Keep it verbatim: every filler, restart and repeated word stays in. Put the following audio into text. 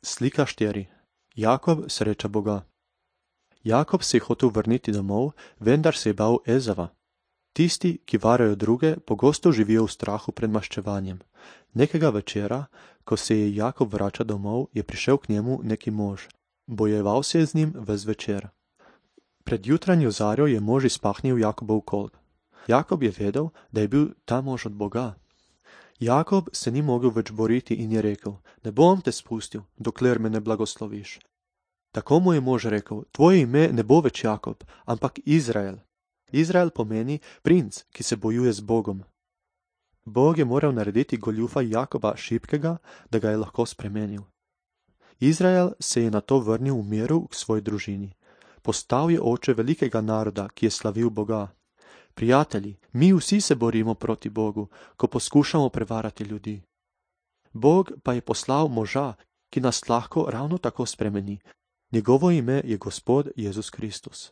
Slika štiri. Jakob sreča Boga. Jakob se je hotel vrniti domov, vendar se je bal Ezava. Tisti, ki varajo druge, pogosto živijo v strahu pred maščevanjem. Nekega večera, ko se je Jakob vračal domov, je prišel k njemu neki mož. Bojeval se je z njim ves večer. Pred jutranjo zarjo je mož izpahnil Jakobov kolk. Jakob je vedel, da je bil ta mož od Boga. Jakob se ni mogel več boriti in je rekel: ne bom te spustil, dokler me ne blagosloviš. Tako mu je mož rekel: tvoje ime ne bo več Jakob, ampak Izrael. Izrael pomeni princ, ki se bojuje z Bogom. Bog je moral narediti goljufa Jakoba šibkega, da ga je lahko spremenil. Izrael se je nato vrnil v miru k svoji družini. Postal je oče velikega naroda, ki je slavil Boga. Prijatelji, mi vsi se borimo proti Bogu, ko poskušamo prevarati ljudi. Bog pa je poslal moža, ki nas lahko ravno tako spremeni. Njegovo ime je Gospod Jezus Kristus.